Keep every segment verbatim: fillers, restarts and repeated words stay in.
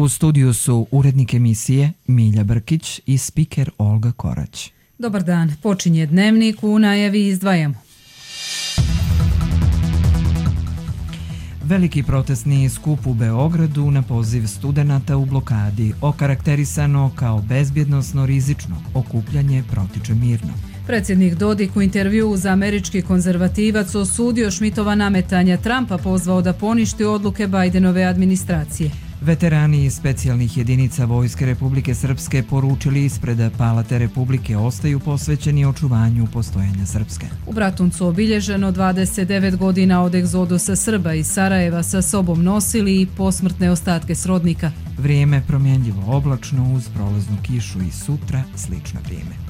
U studiju su urednik emisije Milja Brkić i spiker Olga Korać. Dobar dan, počinje Dnevnik, u najavi izdvajamo. Veliki protestni skup u Beogradu na poziv studenata u blokadi, okarakterisano kao bezbjednosno rizično, okupljanje protiče mirno. Predsjednik Dodik u intervjuu za američki konzervativac osudio Šmitova nametanja, Trumpa pozvao da poništi odluke Bajdenove administracije. Veterani specijalnih jedinica Vojske Republike Srpske poručili ispred Palate Republike ostaju posvećeni očuvanju postojanja Srpske. U Bratuncu obilježeno dvadeset devet godina od egzodusa Srba iz Sarajeva, sa sobom nosili i posmrtne ostatke srodnika. Vrijeme promjenljivo oblačno uz prolaznu kišu i sutra slično vrijeme.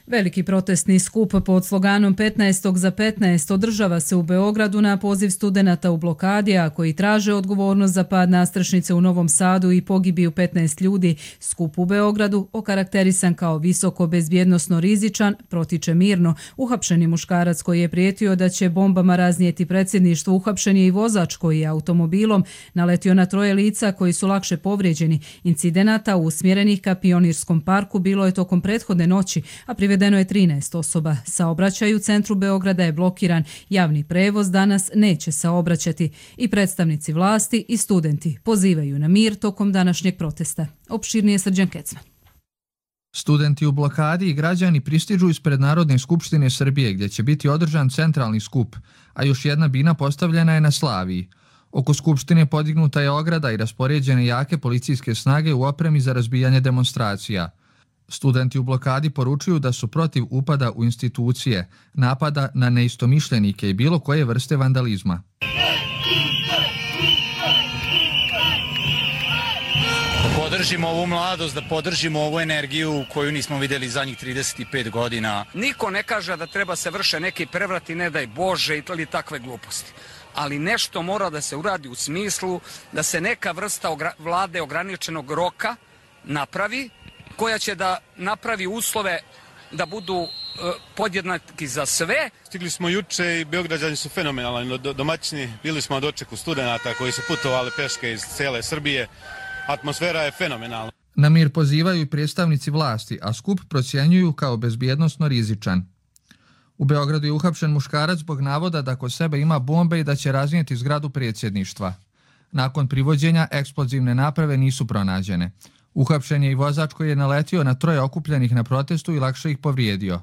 Veliki protestni skup pod sloganom petnaest za petnaest održava se u Beogradu na poziv studenata u blokadi, a koji traže odgovornost za pad nastrešnice u Novom Sadu i pogibiju petnaest ljudi. Skup u Beogradu, okarakterisan kao visoko bezbjednosno rizičan, protiče mirno. Uhapšeni muškarac koji je prijetio da će bombama raznijeti predsjedništvo, uhapšen je i vozač koji je automobilom naletio na troje lica koji su lakše povrijeđeni. Incidenata usmjerenih ka Pionirskom parku bilo je tokom prethodne noći, a privedeno je trinaest osoba. Saobraćaj u centru Beograda je blokiran. Javni prevoz danas neće saobraćati. I predstavnici vlasti i studenti pozivaju na mir tokom današnjeg protesta. Opširnije Srđan Kecman. Studenti u blokadi i građani pristižu ispred Narodne skupštine Srbije, gdje će biti održan centralni skup, a još jedna bina postavljena je na Slaviji. Oko skupštine podignuta je ograda i raspoređene jake policijske snage u opremi za razbijanje demonstracija. Studenti u blokadi poručuju da su protiv upada u institucije, napada na neistomišljenike i bilo koje vrste vandalizma. Da podržimo ovu mladost, da podržimo ovu energiju koju nismo vidjeli zadnjih trideset pet godina. Niko ne kaže da treba se vrše neki prevrati, ne daj Bože, ili takve gluposti. Ali nešto mora da se uradi u smislu da se neka vrsta ogra- vlade ograničenog roka napravi, koja će da napravi uslove da budu e, podjednaki za sve. Stigli smo juče i Beograđani su fenomenalni, domaćini, bili smo na dočeku studenata koji su putovali peške iz cijele Srbije. Atmosfera je fenomenalna. Na mir pozivaju i predstavnici vlasti, a skup procjenjuju kao bezbjednosno rizičan. U Beogradu je uhapšen muškarac zbog navoda da kod sebe ima bombe i da će raznijeti zgradu predsjedništva. Nakon privođenja eksplozivne naprave nisu pronađene. Uhapšen je i vozač koji je naletio na troje okupljenih na protestu i lakše ih povrijedio.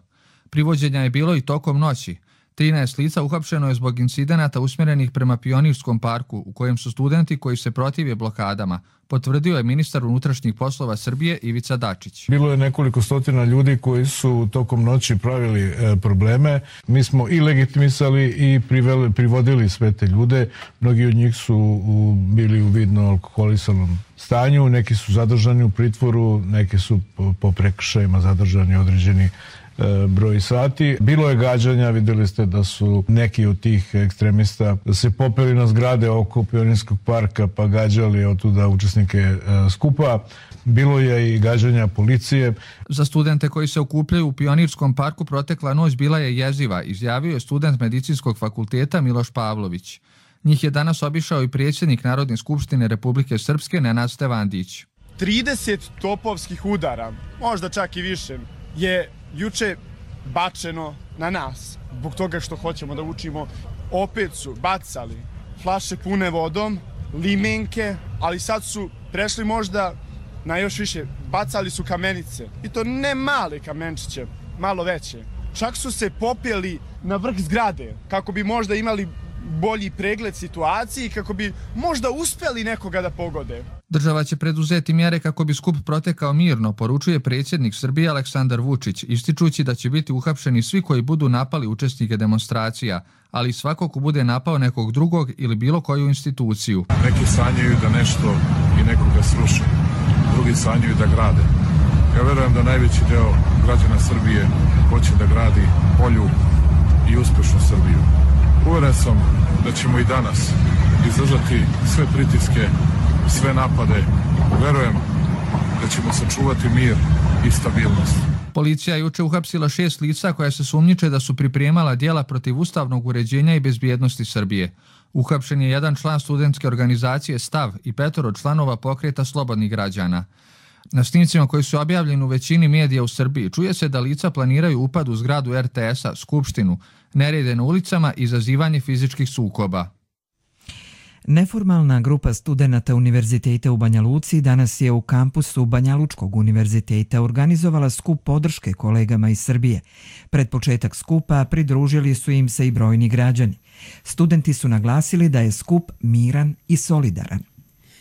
Privođenja je bilo i tokom noći. trinaest lica uhapšeno je zbog incidenata usmjerenih prema Pionirskom parku, u kojem su studenti koji se protive blokadama, potvrdio je ministar unutrašnjih poslova Srbije Ivica Dačić. Bilo je nekoliko stotina ljudi koji su tokom noći pravili e, probleme. Mi smo i legitimisali i priveli, privodili sve te ljude. Mnogi od njih su u, bili u vidno alkoholisanom stanju, neki su zadržani u pritvoru, neki su po, po prekršajima zadržani određeni broj sati. Bilo je gađanja, vidjeli ste da su neki od tih ekstremista se popeli na zgrade oko Pionirskog parka pa gađali od tuda učesnike skupa. Bilo je i gađanja policije. Za studente koji se okupljaju u Pionirskom parku protekla noć bila je jeziva, izjavio je student Medicinskog fakulteta Miloš Pavlović. Njih je danas obišao i predsjednik Narodne skupštine Republike Srpske Nenad Stevandić. trideset topovskih udara, možda čak i više, je juče bačeno na nas. Zbog toga što hoćemo da učimo, opet su bacali flaše pune vodom, limenke, ali sad su prešli možda na još više. Bacali su kamenice. I to ne male kamenčiće, malo veće. Čak su se popeli na vrh zgrade kako bi možda imali bolji pregled situacije i kako bi možda uspjeli nekoga da pogode. Država će preduzeti mjere kako bi skup protekao mirno, poručuje predsjednik Srbije Aleksandar Vučić, ističući da će biti uhapšeni svi koji budu napali učesnike demonstracija, ali i svako ko bude napao nekog drugog ili bilo koju instituciju. Neki sanjaju da nešto i nekoga sruše, drugi sanjaju da grade. Ja verujem da najveći deo građana Srbije hoće da gradi bolju i uspješnu Srbiju. Uveren sam da ćemo i danas izdržati sve pritiske, sve napade. Verujem da ćemo sačuvati mir i stabilnost. Policija je juče uhapsila šest lica koja se sumnjiče da su pripremala djela protiv ustavnog uređenja i bezbjednosti Srbije. Uhapšen je jedan član studentske organizacije Stav i petoro članova pokreta Slobodnih građana. Na snimcima koji su objavljeni u većini medija u Srbiji čuje se da lica planiraju upad u zgradu er te esa, skupštinu, nerede na ulicama i izazivanje fizičkih sukoba. Neformalna grupa studenata Univerziteta u Banja Luci danas je u kampusu Banja Lučkog univerziteta organizovala skup podrške kolegama iz Srbije. Pred početak skupa pridružili su im se i brojni građani. Studenti su naglasili da je skup miran i solidaran.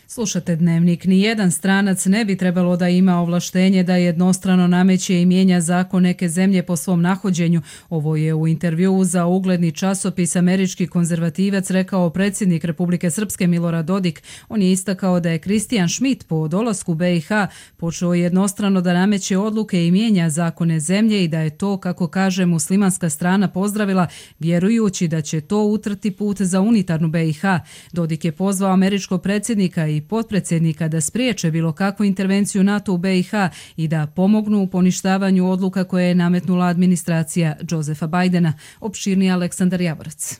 Slušate Dnevnik. Nijedan stranac ne bi trebalo da ima ovlaštenje da jednostrano nameće i mijenja zakon neke zemlje po svom nahođenju. Ovo je u intervjuu za ugledni časopis Američki konzervativac rekao predsjednik Republike Srpske Milorad Dodik. On je istakao da je Kristijan Šmit po dolasku be i ha počeo jednostrano da nameće odluke i mijenja zakone zemlje i da je to, kako kaže, muslimanska strana pozdravila, vjerujući da će to utrti put za unitarnu be i ha. Dodik je pozvao američkog predsjednika i potpredsjednika da spriječe bilo kakvu intervenciju NATO u be i ha i da pomognu u poništavanju odluka koje je nametnula administracija Josefa Bajdena. Opširni Aleksandar Javorac.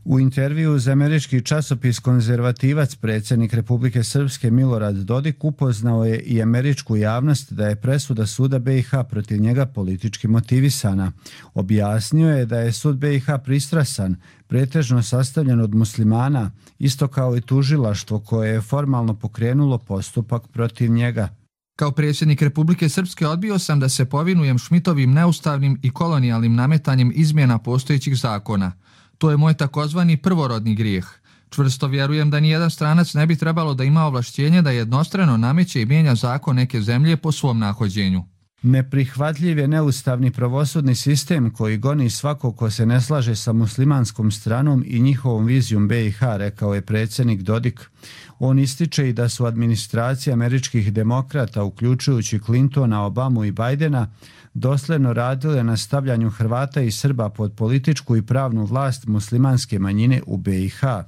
U intervju za američki časopis Konzervativac predsjednik Republike Srpske Milorad Dodik upoznao je i američku javnost da je presuda suda be i ha protiv njega politički motivisana. Objasnio je da je sud be i ha pristrasan, pretežno sastavljen od muslimana, isto kao i tužilaštvo koje je formalno pokrenulo postupak protiv njega. Kao predsjednik Republike Srpske odbio sam da se povinujem Šmitovim neustavnim i kolonijalnim nametanjem izmjena postojećih zakona. To je moj takozvani prvorodni grijeh. Čvrsto vjerujem da nijedan stranac ne bi trebalo da ima ovlašćenje da jednostrano nameće i mijenja zakon neke zemlje po svom nahođenju. Neprihvatljiv je neustavni pravosudni sistem koji goni svako ko se ne slaže sa muslimanskom stranom i njihovom vizijom be i ha, rekao je predsjednik Dodik. On ističe i da su administracije američkih demokrata, uključujući Clintona, Obamu i Bajdena, dosledno radile na stavljanju Hrvata i Srba pod političku i pravnu vlast muslimanske manjine u be i ha.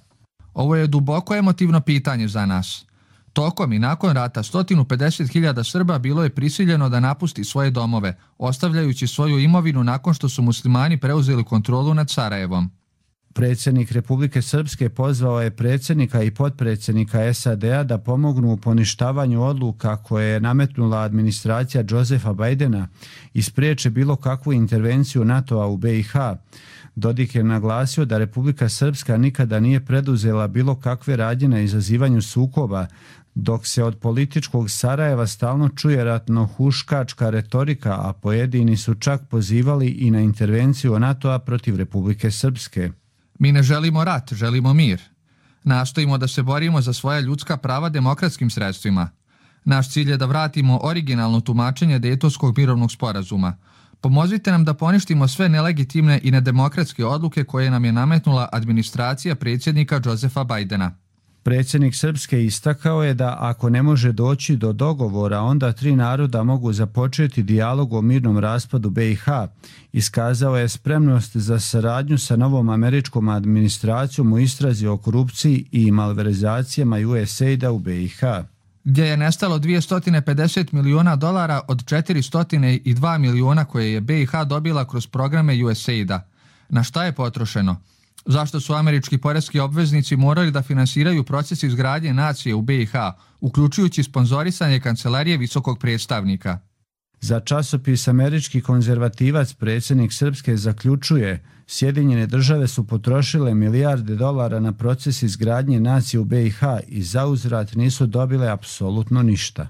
Ovo je duboko emotivno pitanje za nas. Tokom i nakon rata sto pedeset hiljada Srba bilo je prisiljeno da napusti svoje domove, ostavljajući svoju imovinu nakon što su muslimani preuzeli kontrolu nad Sarajevom. Predsjednik Republike Srpske pozvao je predsjednika i potpredsjednika es a de a da pomognu u poništavanju odluka koje je nametnula administracija Josefa Bajdena i spriječe bilo kakvu intervenciju NATO-a u be i ha. Dodik je naglasio da Republika Srpska nikada nije preduzela bilo kakve radnje na izazivanju sukoba, dok se od političkog Sarajeva stalno čuje ratno-huškačka retorika, a pojedini su čak pozivali i na intervenciju NATO-a protiv Republike Srpske. Mi ne želimo rat, želimo mir. Nastojimo da se borimo za svoja ljudska prava demokratskim sredstvima. Naš cilj je da vratimo originalno tumačenje Dejtonskog mirovnog sporazuma. Pomozite nam da poništimo sve nelegitimne i nedemokratske odluke koje nam je nametnula administracija predsjednika Josefa Bajdena. Predsjednik Srpske istakao je da ako ne može doći do dogovora, onda tri naroda mogu započeti dijalog o mirnom raspadu be i ha. Iskazao je spremnost za saradnju sa novom američkom administracijom u istrazi o korupciji i malverzacijama u es a i de u be i ha. Gdje je nestalo dvjesto pedeset miliona dolara od četiristo dva miliona koje je be i ha dobila kroz programe u es a i de. Na šta je potrošeno? Zašto su američki poreski obveznici morali da finansiraju proces izgradnje nacije u be i ha, uključujući sponzorisanje kancelarije visokog predstavnika? Za časopis Američki konzervativac predsjednik Srpske zaključuje: Sjedinjene države su potrošile milijarde dolara na proces izgradnje nacije u be i ha i zauzvrat nisu dobile apsolutno ništa.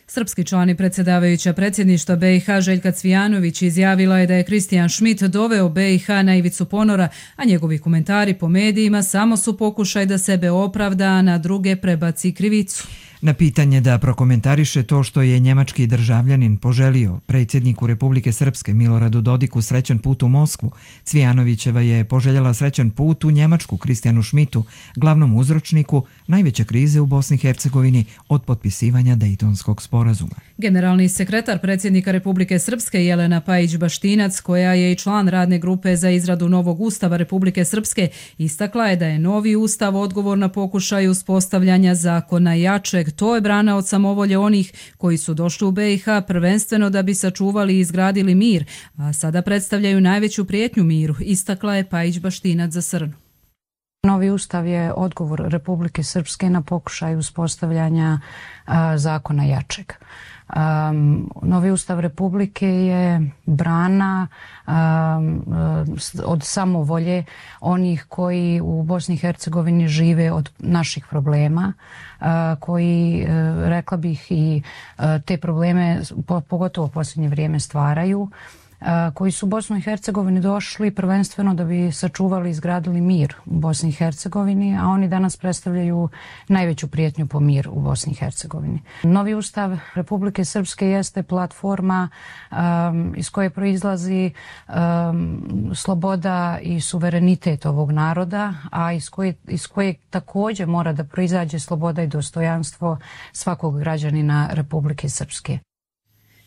Srpski član i predsjedavajuća predsjedništva be i ha Željka Cvijanović izjavila je da je Kristijan Šmit doveo be i ha na ivicu ponora, a njegovi komentari po medijima samo su pokušaj da sebe opravda, a na druge prebaci krivicu. Na pitanje da prokomentariše to što je njemački državljanin poželio predsjedniku Republike Srpske Miloradu Dodiku srećan put u Moskvu, Cvijanovićeva je poželjela srećan put u Njemačku Kristijanu Šmitu, glavnom uzročniku najveće krize u Bosni i Hercegovini od potpisivanja Dejtonskog sporazuma. Generalni sekretar predsjednika Republike Srpske Jelena Pajić-Baštinac, koja je i član radne grupe za izradu novog ustava Republike Srpske, istakla je da je novi ustav odgovor na pokušaj uspostavljanja zakona jačeg. To je brana od samovolje onih koji su došli u be i ha prvenstveno da bi sačuvali i izgradili mir, a sada predstavljaju najveću prijetnju miru, istakla je Pajić-Baštinac za Srnu. Novi ustav je odgovor Republike Srpske na pokušaj uspostavljanja a, zakona jačeg. Um, Novi ustav Republike je brana um, od samovolje onih koji u Bosni i Hercegovini žive od naših problema, uh, koji, uh, rekla bih, i uh, te probleme po, pogotovo u posljednje vrijeme stvaraju, koji su u Bosnu i Hercegovini došli prvenstveno da bi sačuvali i izgradili mir u Bosni i Hercegovini, a oni danas predstavljaju najveću prijetnju po mir u Bosni i Hercegovini. Novi ustav Republike Srpske jeste platforma um, iz koje proizlazi um, sloboda i suverenitet ovog naroda, a iz koje, iz koje također mora da proizađe sloboda i dostojanstvo svakog građanina Republike Srpske.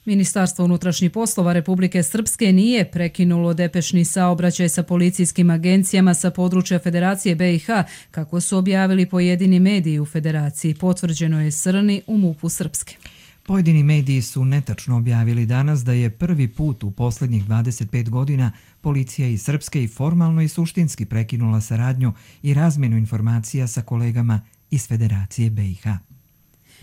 Ministarstvo unutrašnjih poslova Republike Srpske nije prekinulo depešni saobraćaj sa policijskim agencijama sa područja Federacije B i H, kako su objavili pojedini mediji u Federaciji. Potvrđeno je Srni u MUP-u Srpske. Pojedini mediji su netačno objavili danas da je prvi put u posljednjih dvadeset pet godina policija iz Srpske i formalno i suštinski prekinula saradnju i razmjenu informacija sa kolegama iz Federacije B i H.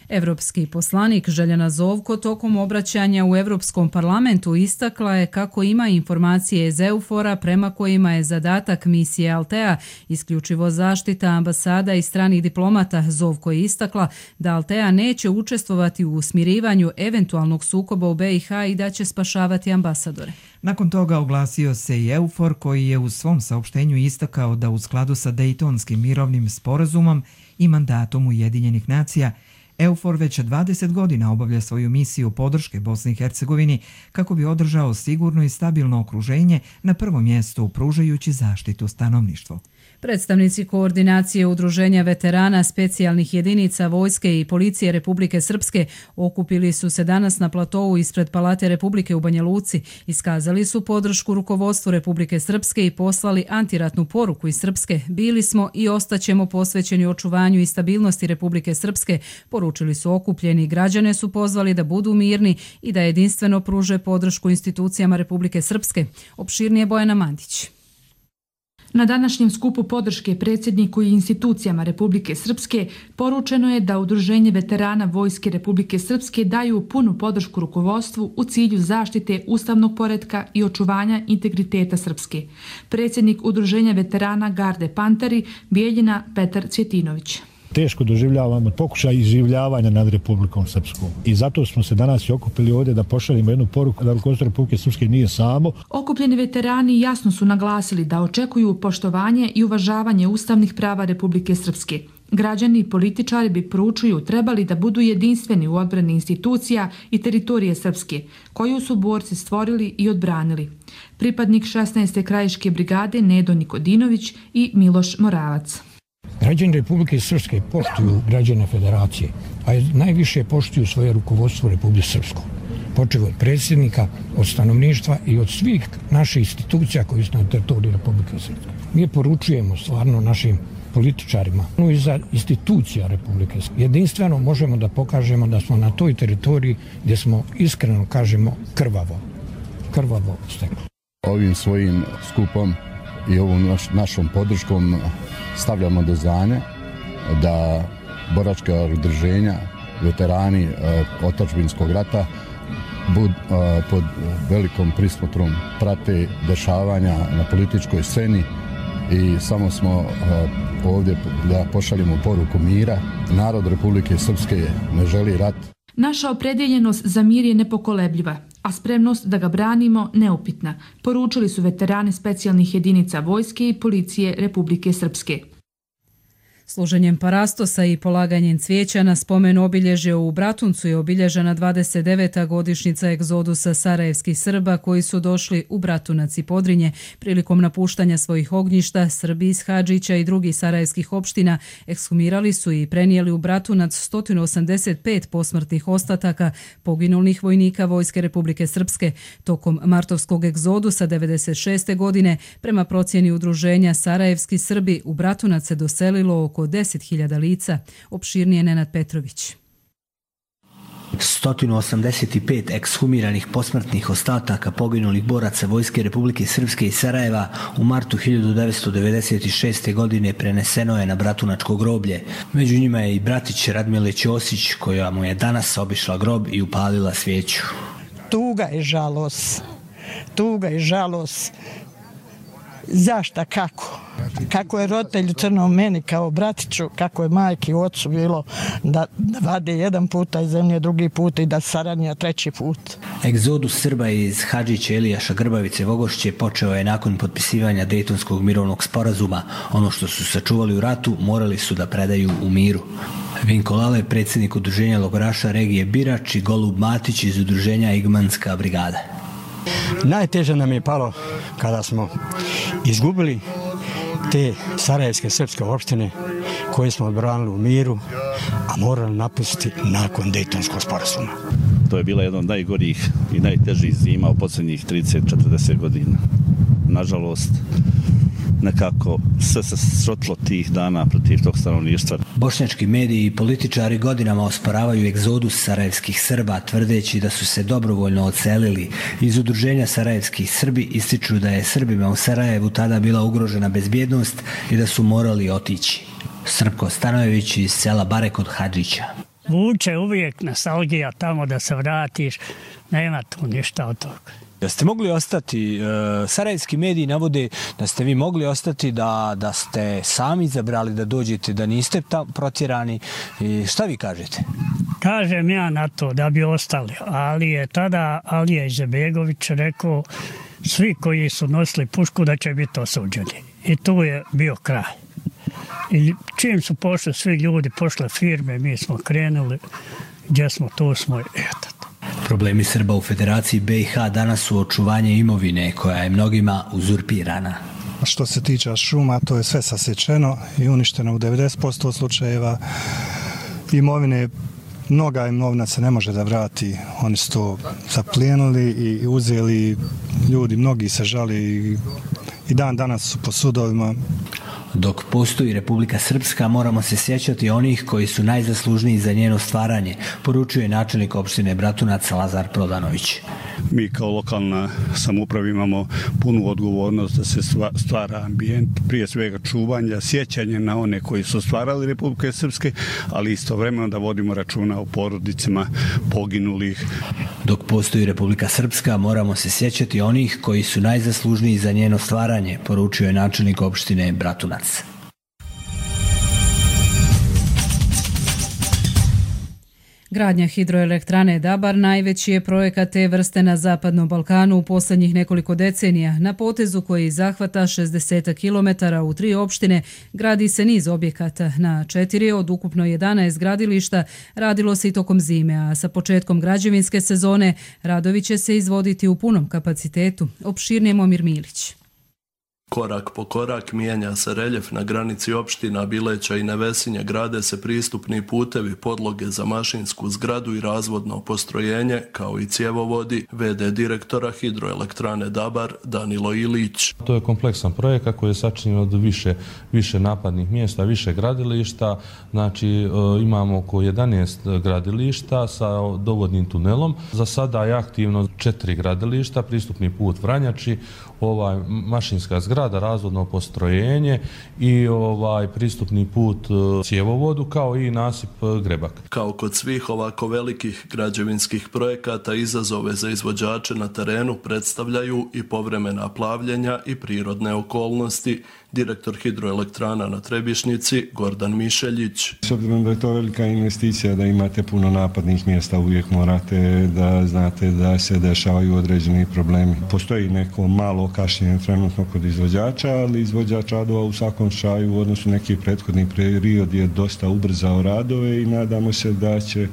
Evropski poslanik Željana Zovko tokom obraćanja u Evropskom parlamentu istakla je kako ima informacije iz EUFOR-a prema kojima je zadatak misije Altea isključivo zaštita ambasada i stranih diplomata. Zovko je istakla da Altea neće učestvovati u usmirivanju eventualnog sukoba u B i H i da će spašavati ambasadore. Nakon toga oglasio se i EUFOR koji je u svom saopštenju istakao da u skladu sa Dejtonskim mirovnim sporazumom i mandatom Ujedinjenih nacija EUFOR već dvadeset godina obavlja svoju misiju podrške Bosni i Hercegovini kako bi održao sigurno i stabilno okruženje, na prvom mjestu pružajući zaštitu stanovništvu. Predstavnici koordinacije udruženja veterana specijalnih jedinica Vojske i Policije Republike Srpske okupili su se danas na platovu ispred Palate Republike u Banja Luci, iskazali su podršku rukovodstvu Republike Srpske i poslali antiratnu poruku iz Srpske. Bili smo i ostaćemo posvećeni očuvanju i stabilnosti Republike Srpske, poručili su okupljeni. Građane su pozvali da budu mirni i da jedinstveno pruže podršku institucijama Republike Srpske. Opširnije Bojana Mandić. Na današnjem skupu podrške predsjedniku i institucijama Republike Srpske poručeno je da Udruženje veterana Vojske Republike Srpske daju punu podršku rukovodstvu u cilju zaštite ustavnog poretka i očuvanja integriteta Srpske. Predsjednik Udruženja veterana Garde Panteri Bijeljina Petar Cvjetinović. Teško doživljavamo pokušaj izživljavanja nad Republikom Srpskom. I zato smo se danas i okupili ovdje da pošaljemo jednu poruku da rukovodstvo Republike Srpske nije samo. Okupljeni veterani jasno su naglasili da očekuju poštovanje i uvažavanje ustavnih prava Republike Srpske. Građani i političari bi poručuju trebali da budu jedinstveni u odbrani institucija i teritorije Srpske, koju su borci stvorili i odbranili. Pripadnik šesnaeste krajiške brigade Nedo Nikodinović i Miloš Moravac. Građani Republike Srpske poštuju građane Federacije, a najviše poštuju svoje rukovodstvo Republike Srpsko. Počeo od predsjednika, od stanovništva i od svih naših institucija koji su na teritoriji Republike Srpske. Mi poručujemo stvarno našim političarima, no i za institucija Republike Srpske. Jedinstveno možemo da pokažemo da smo na toj teritoriji gdje smo iskreno, kažemo, krvavo, krvavo stekli. Ovim svojim skupom i ovom naš, našom podrškom stavljamo do znanja da boračka udruženja, veterani e, otadžbinskog rata bud, e, pod velikom prismotrom prate dešavanja na političkoj sceni i samo smo e, ovdje da pošaljemo poruku mira. Narod Republike Srpske ne želi rat. Naša opredjeljenost za mir je nepokolebljiva, a spremnost da ga branimo neupitna, poručili su veterani specijalnih jedinica Vojske i Policije Republike Srpske. Služenjem parastosa i polaganjem cvijeća na spomen obilježje u Bratuncu je obilježena dvadeset deveta godišnjica egzodusa sarajevskih Srba koji su došli u Bratunac i Podrinje. Prilikom napuštanja svojih ognjišta, Srbi iz Hadžića i drugih sarajevskih opština ekshumirali su i prenijeli u Bratunac sto osamdeset pet posmrtnih ostataka poginulih vojnika Vojske Republike Srpske. Tokom martovskog egzodusa devedeset šeste godine, prema procjeni udruženja Sarajevski Srbi, u Bratunac se doselilo oko deset hiljada lica. Opširnije Nenad Petrović. sto osamdeset pet ekshumiranih posmrtnih ostataka poginulih boraca Vojske Republike Srpske iz Sarajeva u martu hiljadu devetsto devedeset šeste. godine preneseno je na Bratunačko groblje. Među njima je i bratić Radmile Ćosić, koja mu je danas obišla grob i upalila svijeću. Tuga i žalost. Tuga i žalost. Zašta, kako? Kako je roditelj crno meni kao bratiću, kako je majki i ocu bilo da, da vade jedan puta iz zemlje, drugi put i da saranja treći put. Egzodus Srba iz Hadžića Elijaša Grbavice Vogošće počeo je nakon potpisivanja Dejtonskog mirovnog sporazuma. Ono što su sačuvali u ratu morali su da predaju u miru. Vinko Lale, predsjednik udruženja logoraša regije Birač, i Golub Matić iz udruženja Igmanska brigada. Najteže nam je palo kada smo izgubili te sarajevske srpske opštine koje smo odbranili u miru, a morali napustiti nakon Dejtonskog sporazuma. To je bila jedna od najgorih i najtežih zima u posljednjih trideset do četrdeset godina. Nažalost, nekako sve se srotlo tih dana protiv tog stanovništva. Bošnjački mediji i političari godinama osporavaju egzodus sarajevskih Srba, tvrdeći da su se dobrovoljno odselili. Iz udruženja Sarajevskih Srbi ističu da je Srbima u Sarajevu tada bila ugrožena bezbjednost i da su morali otići. Srpko Stanojević iz sela Bare kod Hadžića. Vuče uvijek nostalgija tamo da se vratiš, nema tu ništa od toga. Da ste mogli ostati, sarajevski mediji navode da ste vi mogli ostati, da, da ste sami izabrali da dođete, da niste tam protjerani. I šta vi kažete? Kažem ja na to da bi ostali, ali je tada Alija Izetbegović rekao svi koji su nosili pušku da će biti osuđeni. I tu je bio kraj. I čim su pošli svi ljudi, pošle firme, mi smo krenuli, gdje smo, tu smo, eto. Problemi Srba u Federaciji be i ha danas su očuvanje imovine koja je mnogima uzurpirana. Što se tiče šuma, to je sve sasječeno i uništeno u devedeset posto slučajeva. Imovine, mnoga imovina se ne može da vrati. Oni su to zaplijenili i uzeli. Ljudi, mnogi se žali i dan danas su po sudovima. Dok postoji Republika Srpska, moramo se sjećati onih koji su najzaslužniji za njeno stvaranje, poručuje načelnik opštine Bratunac Lazar Prodanović. Mi kao lokalna samouprava imamo punu odgovornost da se stvara ambijent, prije svega čuvanja, sjećanje na one koji su stvarali Republike Srpske, ali istovremeno da vodimo računa o porodicama poginulih. Dok postoji Republika Srpska, moramo se sjećati onih koji su najzaslužniji za njeno stvaranje, poručuje načelnik opštine Bratunac. Gradnja hidroelektrane Dabar najveći je projekat te vrste na Zapadnom Balkanu u posljednjih nekoliko decenija. Na potezu koji zahvata šezdeset kilometara u tri opštine gradi se niz objekata. Na četiri od ukupno jedanaest gradilišta radilo se i tokom zime, a sa početkom građevinske sezone radovi će se izvoditi u punom kapacitetu. Opširnije Momir Milić. Korak po korak mijenja se reljef na granici opština Bileća i Nevesinje, grade se pristupni putevi, podloge za mašinsku zgradu i razvodno postrojenje, kao i cjevovodi, ve de direktora hidroelektrane Dabar Danilo Ilić. To je kompleksan projekat koji je sačinjen od više, više napadnih mjesta, više gradilišta, znači e, imamo oko jedanaest gradilišta sa dovodnim tunelom. Za sada je aktivno četiri gradilišta, pristupni put Vranjači, ovaj mašinska zgrada, razvodno postrojenje i ovaj pristupni put cjevovodu, kao i nasip Grebak. Kao kod svih ovako velikih građevinskih projekata, izazove za izvođače na terenu predstavljaju i povremena plavljenja i prirodne okolnosti. Direktor hidroelektrana na Trebišnici Gordan Mišeljić. S obzirom da je to velika investicija, da imate puno napadnih mjesta, uvijek morate da znate da se dešavaju određeni problemi. Postoji neko malo kašnjenje trenutno kod izvođača, ali izvođač radova u svakom slučaju u odnosu neki prethodni period je dosta ubrzao radove i nadamo se da će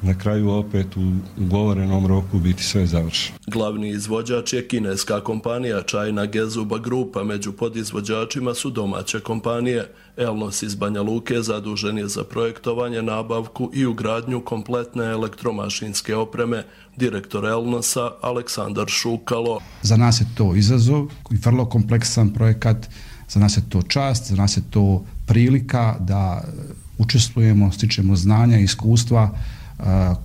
na kraju opet u ugovorenom roku biti sve završeno. Glavni izvođač je kineska kompanija China Gezuba Grupa, među podizvođačima su domaće kompanije. Elnos iz Banja Luke zadužen je za projektovanje, nabavku i ugradnju kompletne elektromašinske opreme. Direktor Elnosa Aleksandar Šukalo. Za nas je to izazov i vrlo kompleksan projekat, za nas je to čast, za nas je to prilika da učestvujemo, stičemo znanja i iskustva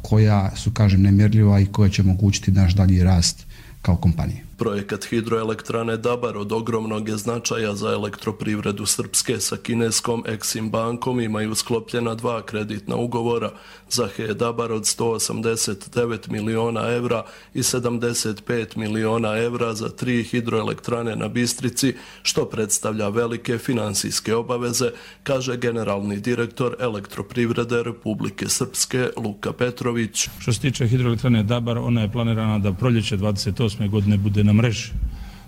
koja su, kažem, nemjerljiva i koja će omogućiti naš dalji rast kao kompanije. Projekat hidroelektrane Dabar od ogromnog je značaja za elektroprivredu Srpske. Sa kineskom Exim bankom imaju sklopljena dva kreditna ugovora za H E Dabar od sto osamdeset devet miliona evra i sedamdeset pet miliona evra za tri hidroelektrane na Bistrici, što predstavlja velike finansijske obaveze, kaže generalni direktor elektroprivrede Republike Srpske Luka Petrović. Što se tiče hidroelektrane Dabar, ona je planirana da proljeće dvadeset osme godine bude na mreži.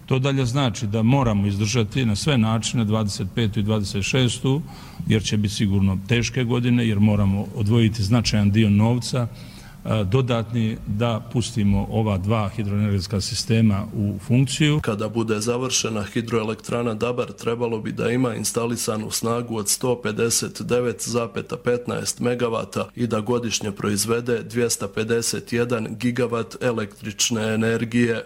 To dalje znači da moramo izdržati na sve načine dvadeset petu i dvadeset šestu jer će biti sigurno teške godine, jer moramo odvojiti značajan dio novca dodatni da pustimo ova dva hidroenergetska sistema u funkciju. Kada bude završena hidroelektrana Dabar, trebalo bi da ima instalisanu snagu od sto pedeset devet zarez petnaest megavata i da godišnje proizvede dvjesto pedeset jedan gigavat električne energije.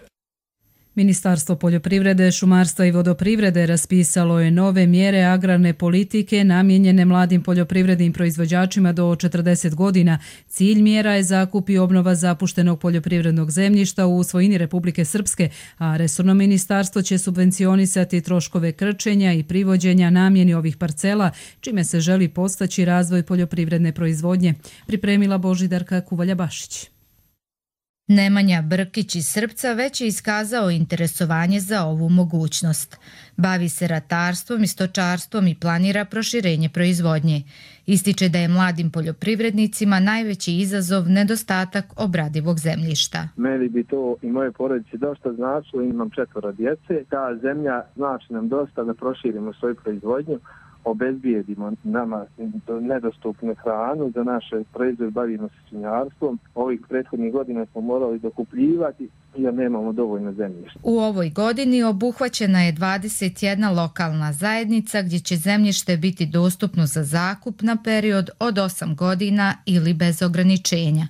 Ministarstvo poljoprivrede, šumarstva i vodoprivrede raspisalo je nove mjere agrarne politike namijenjene mladim poljoprivrednim proizvođačima do četrdeset godina. Cilj mjera je zakup i obnova zapuštenog poljoprivrednog zemljišta u svojini Republike Srpske, a resorno ministarstvo će subvencionisati troškove krčenja i privođenja namjeni ovih parcela, čime se želi postaći razvoj poljoprivredne proizvodnje. Pripremila Božidarka Kuvalja-Bašić. Nemanja Brkić iz Srpca već je iskazao interesovanje za ovu mogućnost. Bavi se ratarstvom i stočarstvom i planira proširenje proizvodnje. Ističe da je mladim poljoprivrednicima najveći izazov nedostatak obradivog zemljišta. Meni bi to i moje porodice dosta značilo, imam četvoro djece. Ta zemlja znači nam dosta da proširimo svoju proizvodnju, obezbijedimo nama nedostupnu hranu, za naše proizvode bavimo se svinjarstvom. Ovih prethodnih godina smo morali dokupljivati jer nemamo dovoljno zemljišta. U ovoj godini obuhvaćena je dvadeset jedna lokalna zajednica gdje će zemljište biti dostupno za zakup na period od osam godina ili bez ograničenja.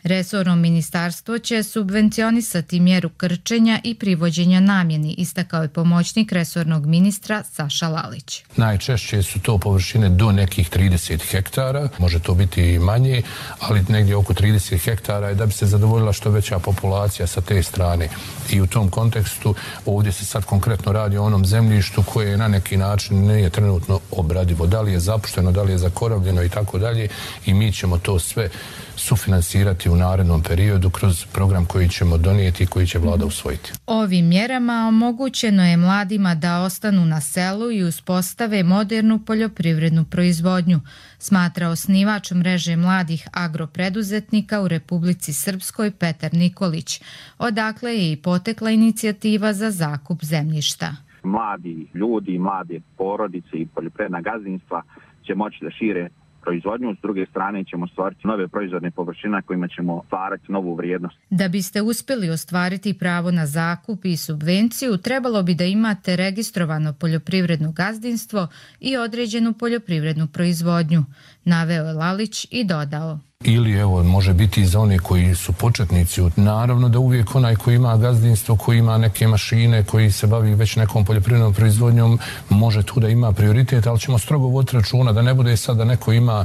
Resorno ministarstvo će subvencionisati mjeru krčenja i privođenja namjeni, istakao je pomoćnik resornog ministra Saša Lalić. Najčešće su to površine do nekih trideset hektara, može to biti i manje, ali negdje oko trideset hektara je da bi se zadovoljila što veća populacija sa te strane. I u tom kontekstu ovdje se sad konkretno radi o onom zemljištu koje na neki način nije trenutno obradivo. Da li je zapušteno, da li je zakoravljeno i tako dalje, i mi ćemo to sve sufinansirati u narednom periodu kroz program koji ćemo donijeti i koji će vlada usvojiti. Ovim mjerama omogućeno je mladima da ostanu na selu i uspostave modernu poljoprivrednu proizvodnju, smatra osnivač mreže mladih agropreduzetnika u Republici Srpskoj Petar Nikolić, odakle je i potekla inicijativa za zakup zemljišta. Mladi ljudi, mlade porodice i poljoprivredna gazdinstva će moći da šire proizvodnju, s druge strane ćemo stvariti nove proizvodne površine kojima ćemo stvarati novu vrijednost. Da biste uspjeli ostvariti pravo na zakup i subvenciju, trebalo bi da imate registrovano poljoprivredno gazdinstvo i određenu poljoprivrednu proizvodnju, naveo je Lalić i dodao. Ili evo, može biti i za one koji su početnici. Naravno da uvijek onaj koji ima gazdinstvo, koji ima neke mašine, koji se bavi već nekom poljoprivrednom proizvodnjom, može tu da ima prioritet, ali ćemo strogo voditi računa da ne bude sad da neko ima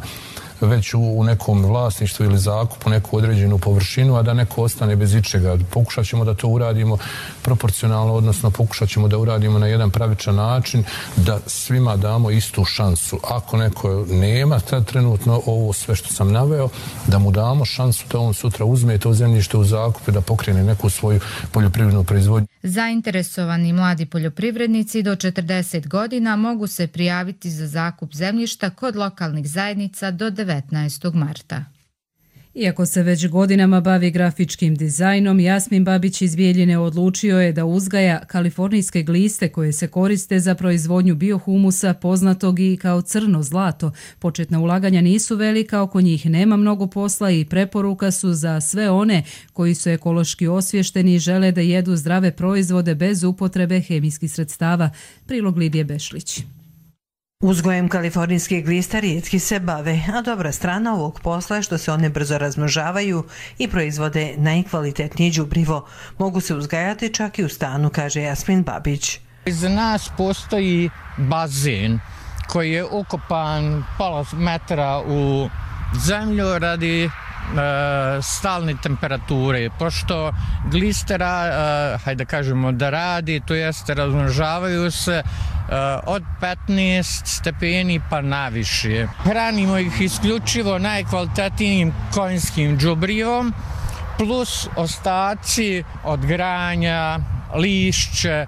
već u nekom vlasništvu ili zakupu neku određenu površinu, a da neko ostane bez ičega. Pokušat ćemo da to uradimo proporcionalno, odnosno pokušat ćemo da uradimo na jedan pravičan način, da svima damo istu šansu. Ako neko nema tad trenutno ovo sve što sam naveo, da mu damo šansu da on sutra uzme to zemljište u zakup i da pokrene neku svoju poljoprivrednu proizvodnju. Zainteresovani mladi poljoprivrednici do četrdeset godina mogu se prijaviti za zakup zemljišta kod lokalnih zajednica do devetnaestog marta. Iako se već godinama bavi grafičkim dizajnom, Jasmin Babić iz Bijeljine odlučio je da uzgaja kalifornijske gliste koje se koriste za proizvodnju biohumusa, poznatog i kao crno zlato. Početna ulaganja nisu velika, oko njih nema mnogo posla i preporuka su za sve one koji su ekološki osvješteni i žele da jedu zdrave proizvode bez upotrebe hemijskih sredstava. Prilog Lidije Bešlić. Uzgojem kalifornijskih glista rijetki se bave, a dobra strana ovog posla je što se one brzo razmnožavaju i proizvode najkvalitetnije đubrivo. Mogu se uzgajati čak i u stanu, kaže Jasmin Babić. Iza nas postoji bazen koji je ukopan pola metra u zemlju radi stalne temperature, pošto glistera, hajde kažemo da radi, to jeste razmnožavaju se od petnaest stepeni pa naviše. Hranimo ih isključivo najkvalitetnijim konjskim đubrivom, plus ostaci od granja, lišće.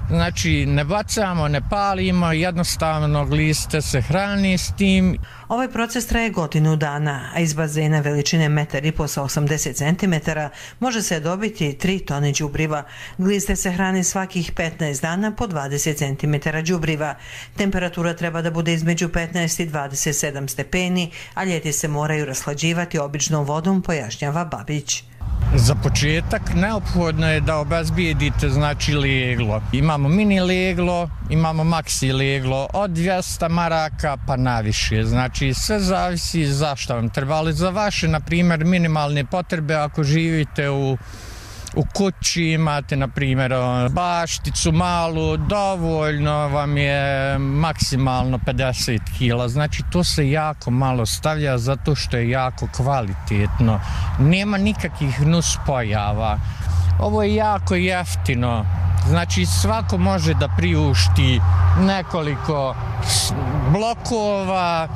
Znači, ne bacamo, ne palimo, jednostavno gliste se hrani s tim. Ovaj proces traje godinu dana, a iz bazena veličine metar i po sa osamdeset centimetara može se dobiti tri tone đubriva. Gliste se hrane svakih petnaest dana po dvadeset centimetara đubriva. Temperatura treba da bude između petnaest i dvadeset sedam stepeni, a ljeti se moraju raslađivati običnom vodom, pojašnjava Babić. Za početak neophodno je da obezbijedite znači leglo. Imamo mini leglo, imamo maksi leglo od dvjesto maraka pa naviše. Znači sve zavisi zašto vam treba, ali za vaše, na primjer, minimalne potrebe ako živite u U kući imate, na primjer, bašticu malu, dovoljno vam je maksimalno pedeset kila. Znači, to se jako malo stavlja zato što je jako kvalitetno. Nema nikakvih nuspojava. Ovo je jako jeftino. Znači, svako može da priušti nekoliko blokova,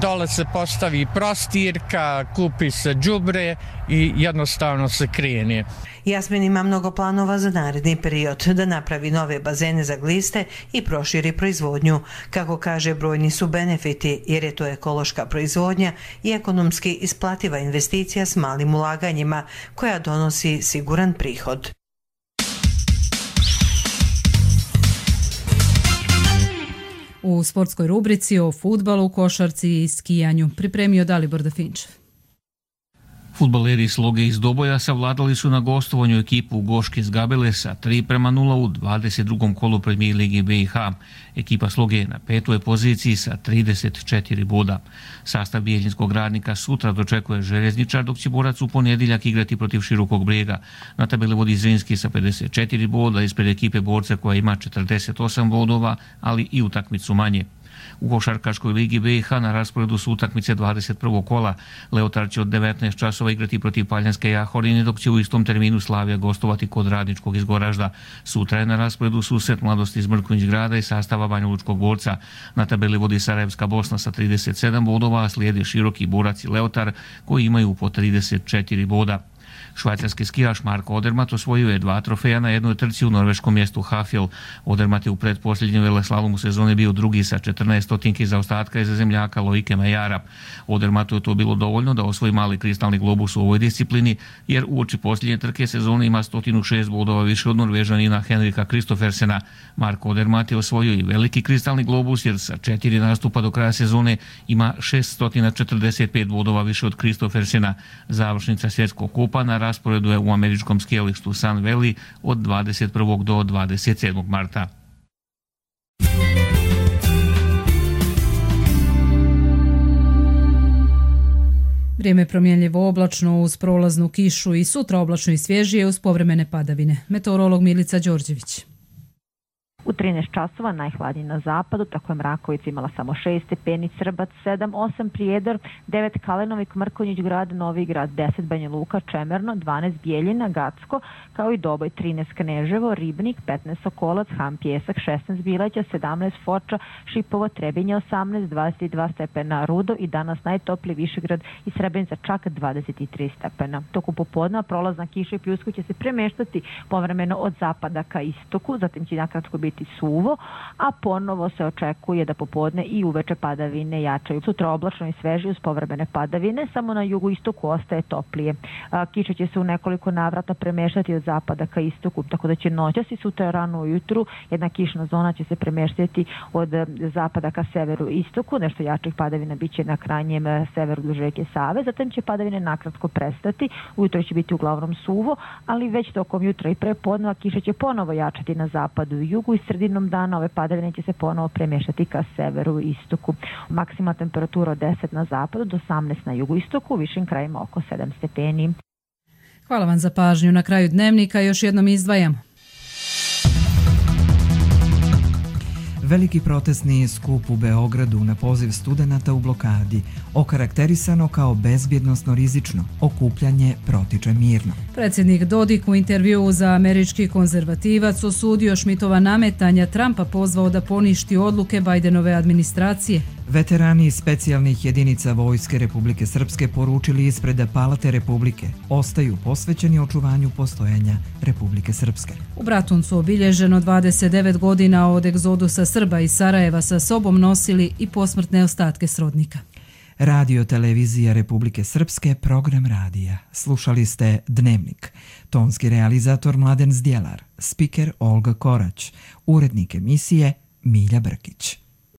dole se postavi prostirka, kupi se đubre i jednostavno se krene. Jasmin ima mnogo planova za naredni period, da napravi nove bazene za gliste i proširi proizvodnju. Kako kaže, brojni su benefiti, jer je to ekološka proizvodnja i ekonomski isplativa investicija s malim ulaganjima, koja donosi siguran prihod. U sportskoj rubrici o fudbalu, košarci i skijanju pripremio Dalibor Dafinčev. Fudbaleri Sloge iz Doboja savladali su na gostovanju ekipu Goške iz Gabele sa tri prema nula u dvadeset drugom kolu Premijer Lige B i H. Ekipa Sloge je na petoj poziciji sa trideset četiri boda. Sastav Bijeljinskog Radnika sutra dočekuje Željezničar, dok će Borac u ponedjeljak igrati protiv Širokog Brijega. Na tabeli vodi Zrinski sa pedeset četiri boda, ispred ekipe Borca koja ima četrdeset osam bodova, ali i utakmicu manje. U košarkaškoj ligi B i H na rasporedu su utakmice dvadeset prvog kola. Leotar će od devetnaest časova igrati protiv Paljanske Jahorine, dok će u istom terminu Slavija gostovati kod Radničkog iz Goražda. Sutra je na rasporedu susret Mladosti iz Mrkonjić Grada i sastava Banjalučkog Borca. Na tabeli vodi Sarajevska Bosna sa trideset sedam bodova, a slijede Široki, Borac i Leotar koji imaju po trideset četiri boda. Švajcarski skijaš Marko Odermatt osvojio je dva trofeja na jednoj trci u norveškom mjestu Hafjell. Odermatt je u pretposljednjem veleslalomu sezone bio drugi sa četrnaest stotinki zaostatka iza zemljaka Loike Mejara. Odermattu je to bilo dovoljno da osvoji mali kristalni globus u ovoj disciplini, jer uoči posljednje trke sezone ima sto šest bodova više od Norvežanina Henrika Kristofersena. Marko Odermatt je osvojio i veliki kristalni globus, jer sa četiri nastupa do kraja sezone ima šeststo četrdeset pet bodova više od Kristofersena. Završnica svjetskog kupa na rasporedu je u američkom skijalištu Sun Valley od dvadeset prvog do dvadeset sedmog marta. Vrijeme promjenljivo oblačno uz prolaznu kišu i sutra oblačno i svježije uz povremene padavine. Meteorolog Milica Đorđević. U trinaest časova najhladnije na zapadu, tako je Mrakovica imala samo šest stepeni, Srbac sedam, osam Prijedor, devet Kalenovik, Mrkonjić Grad, Novi Grad, deset Banja Luka, Čemerno, dvanaest Bijeljina, Gacko, kao i Doboj, trinaest Kneževo, Ribnik, petnaest Sokolac, Ham Pjesak, šesnaest Bileća, sedamnaest Foča, Šipovo, Trebinje, osamnaest, dvadeset dva stepena Rudo i danas najtopliji Višegrad i Srebrenica čak dvadeset tri stepena. Toku popodna prolazna kiša i pljusku će se premeštati povremeno od zapada ka istoku, zatim će nakratko biti suvo, a ponovo se očekuje da popodne i uveče padavine jačaju. Sutra oblačno i sveže uz povremene padavine, samo na jugu istoku ostaje toplije. Kiša će se u nekoliko navrata premeštati od zapada ka istoku, tako da će noćas i sutra rano ujutru jedna kišna zona će se premeštati od zapada ka severu i istoku, nešto jačih padavina biće na krajnjem severu duž reke Save, zatim će padavine nakratko prestati, ujutro će biti uglavnom suvo, ali već tokom jutra i prepodneva kiša će ponovo jačati na zapadu i jugu i sredinom dana ove padavine će se ponovo premješati ka severu i istoku. Maksimalna temperatura od deset na zapadu do osamnaest na jugu istoku, u višim krajima oko sedam stepeni. Hvala vam za pažnju. Na kraju dnevnika još jednom izdvajamo. Veliki protestni skup u Beogradu na poziv studenata u blokadi, okarakterisano kao bezbjednosno rizično, okupljanje protiče mirno. Predsjednik Dodik u intervjuu za američki konzervativac osudio Šmitova nametanja, Trumpa pozvao da poništi odluke Bajdenove administracije. Veterani specijalnih jedinica Vojske Republike Srpske poručili ispred Palate Republike ostaju posvećeni očuvanju postojanja Republike Srpske. U Bratuncu obilježeno dvadeset devet godina od egzodusa Srba iz Sarajeva sa sobom nosili i posmrtne ostatke srodnika. Radio televizija Republike Srpske, program radija. Slušali ste Dnevnik. Tonski realizator Mladen Zdjelar, spiker Olga Korać, urednik emisije Milja Brkić.